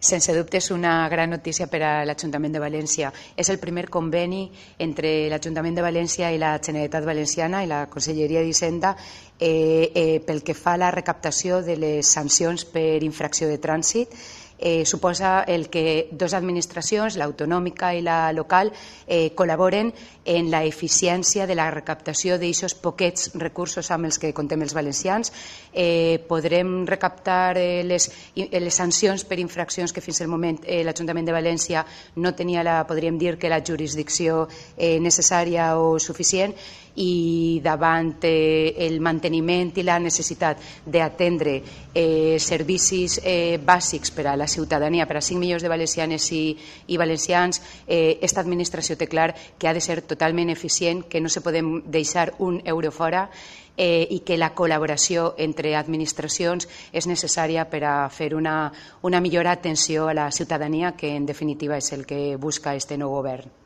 Sense dubte és una gran notícia per a l'Ajuntament de València. És el primer conveni entre l'Ajuntament de València i la Generalitat Valenciana i la Conselleria d'Hisenda pel que fa a la recaptació de les sancions per infracció de trànsit. Suposa el que dues administracions, l'autonòmica i la local, col·laboren en la eficiència de la recaptació d'aixos poquets recursos amb els que comptem els valencians. Podrem recaptar les sancions per infraccions que fins al moment l'Ajuntament de València no tenia, podríem dir, que la jurisdicció necessària o suficient, i davant el manteniment i la necessitat d'atendre servicis bàsics per a la ciutadania, per a 5 milions de valencianes i valencians, aquesta administració té clar que ha de ser totalment eficient, que no se podem deixar un euro fora i que la col·laboració entre administracions és necessària per a fer una millor atenció a la ciutadania, que en definitiva és el que busca este nou govern.